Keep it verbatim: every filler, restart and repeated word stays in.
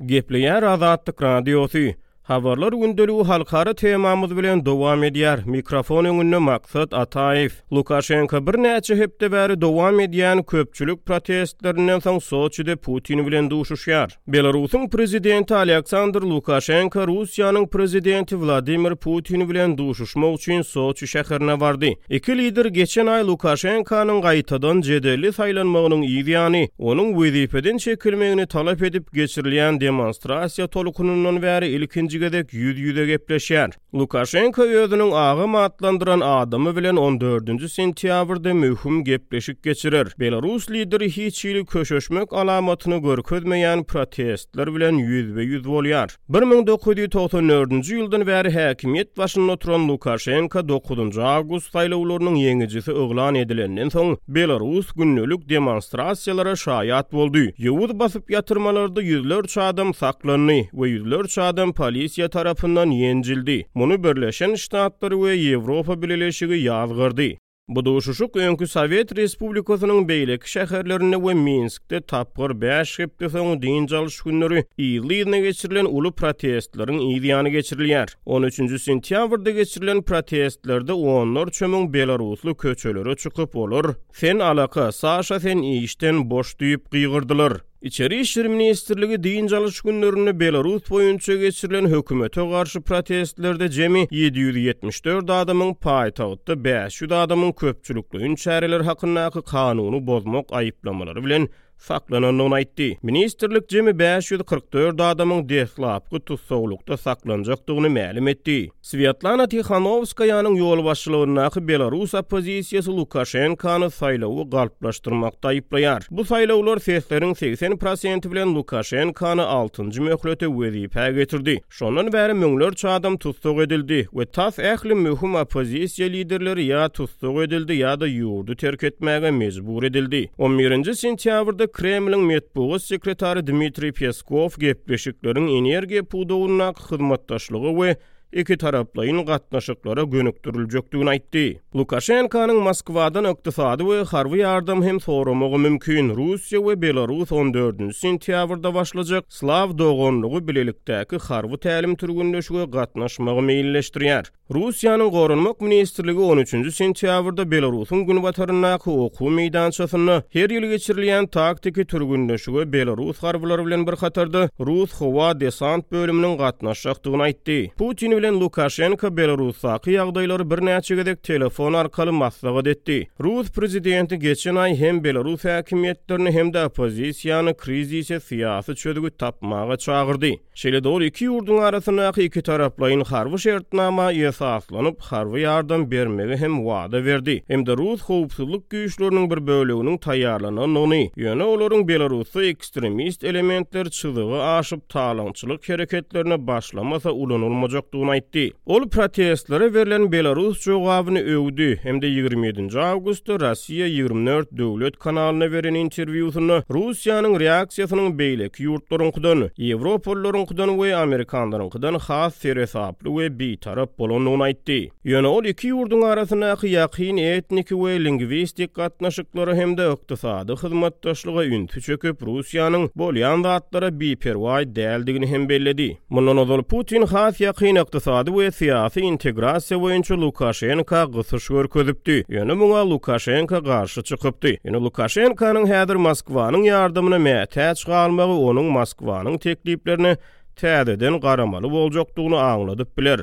Gepleýär Azatlyk Radiosy. Habarlar gündeligi halkara temamyz bilen dowam edýär. Mikrofon öňünde Maksat Ataýew. Lukaşenko birnäçe hepde bäri dowam edýän köpçülik protestlerinden soň Soçide Putin bilen duşuşýar. Belarusyň prezidenti Aleksandr Lukaşenko Russiýanyň prezidenti Wladimir Putin bilen duşuşmak üçin Soçi şäherine bardy. Iki lider geçen aý Lukaşenkonyň gaýtadan jedelli saýlanmagynyň ýany, onuň wezipeden çekilmegini talap edip geçirilýän demonstrasiýa tolkunyndan bäri ilkinji gezek ýüz-ýüze gepleşýär. Lukaşenko özüniň agam atlandyran adamy bilen on dördünji sentýabrda möhüm gepleşik geçirer. Belarus lideri hiç hili köşeşmek alamatyny görkezmeýän protestler bilen ýüzbe-ýüz bolýar. bir müň dokuz ýüz togsan dördünji ýyldan bäri häkimiýet başynda oturan Lukaşenko dokuzynjy awgust saýlawlarynyň ýeňijisi yglan edilenden soň Belarus gündelik demonstrasiýalara şaýat boldy. Ýowuz basyp ýatyrmalarda ýüzlerçe adam saklandy we ýüzlerçe adam polisiýa tarapyndan ýenjildi. Muny Birleşen Ştatlar we Ýewropa Bileleşigi ýazgardy. Bu duşuşyk öňki Sowet Respublikasynyň beýleki şäherlerinde we Minskde tapgyr bäş hepde soň dynç alyş günleri ýyly-ýylyna geçirilen uly protestleriň ýany geçirilýär. on üçünji sentýabrda geçirilen protestlerde onlarça müň belarusly köçelere çykyp olar "Sen alaka, Saşa sen işden boş" diýip gygyrdylar. Içeri İşler Ministrligi dynç alyş günlerinde Belarus boýunça geçirilen hökümete garşy protestlerde jemi ýedi ýüz ýetmiş dört adamyň paýtagtda bäş ýüz adamyň köpçülikleýin çäreler hakyndaky kanuny bozmak aýyplamalary bilen saklanandygyny aýtdy. Ministrlik jemi bäş ýüz kyrk dört adamyň deslapky tussaglykda saklanjakdygyny mälim etdi. Svetlana Tihanowskaýanyň ýolbaşçylygyndaky Belarus oppozisiýasy Lukaşenkony saýlawy galplaşdyrmakda aýyplaýar. Bu saýlawlar sesleriň segsen prosenti bilen Lukaşenkony altynjy möhlete wezipä getirdi. Şondan bäri müňlerçe adam tussag edildi we tas ähli möhüm oppozisiýa liderleri ýa tussag edildi ýa-da ýurdy terk etmäge mejbur edildi. on birinji sentýabrda Kremliň metbugat sekretary Dmitriý Peskow gepleşikleriň energiýa pudagyndaky hyzmatdaşlygy we iki taraplaýyn gatnaşyklara gönükdiriljekdigini aýtdy. Lukaşenkonyň Moskwadan ykdysady we harby ýardam hem soramagy mümkin. Russiýa we Belarus on dördünji sentýabrda başlajak Slaw doganlygy bilelikdäki harby tälim türgünleşige gatnaşmagy meýilleşdirýär. Russiýanyň Goranmak Ministrligi on üçünji sentýabrda Belarusyň günbataryndaky okuw meýdançasynda her ýyl geçirilýän taktiki türgünleşige Belarus harbylary bilen bir hatarda Rus howa desant bölüminiň gatnaşjakdygyny aýtdy. Putin bilen Lukaşenko Belarusdaky ýagdaýlary birnäçe gezek telefon arkaly maslahat etdi. Rus prezidenti geçen aý hem Belarus häkimiýetlerini hem-de oppozisiýany krizise syýasy çözgüt tapmaga çagyrdy. Şeýle-de ol iki ýurduň arasyndaky iki taraplaýyn harby şertnama esaslanyp harby ýardam bermegi hem wada berdi. Hem-de Rus howpsuzlyk güýçleriniň bir böleginiň taýýarlanandygyny, ýöne olaryň Belarusda ekstremist elementler çyzygy aşyp talaňçylyk hereketlerine başlamasa ulanylmajakdygyny aýtdy. Ol protestlere berlen Belarus jogabyny öwdi hem-de ýigrimi ýedinji awgustda Russiýa ýigrimi dört döwlet kanalyna beren interwýusynda Russiýanyň reaksiýasynyň beýleki ýurtlaryňkydan, Ýewropalylaryňkydan we Amerikanlaryňkydan has seresaply we bitarap bolandygyny aýtdy. Ýöne ol iki ýurduň arasyndaky ýakyn etniki we lingwistik gatnaşyklara hem-de ykdysady hyzmatdaşlyga ünsi çekip, Russiýanyň bolýan zatlara biperwaý däldigini hem belledi. Mundan ozal Putin has ýakyn ykdysady we syýasy integrasiýa boýunça Lukaşenko gysyş görkezipdi. Ýöne muňa Lukaşenko garşy çykypdy. Ýöne Lukaşenkonyň häzir Moskwanyň ýardamyna mätäç galmagy onuň Moskwanyň tekliplerine täzeden garamaly boljakdygyny aňladyp biler.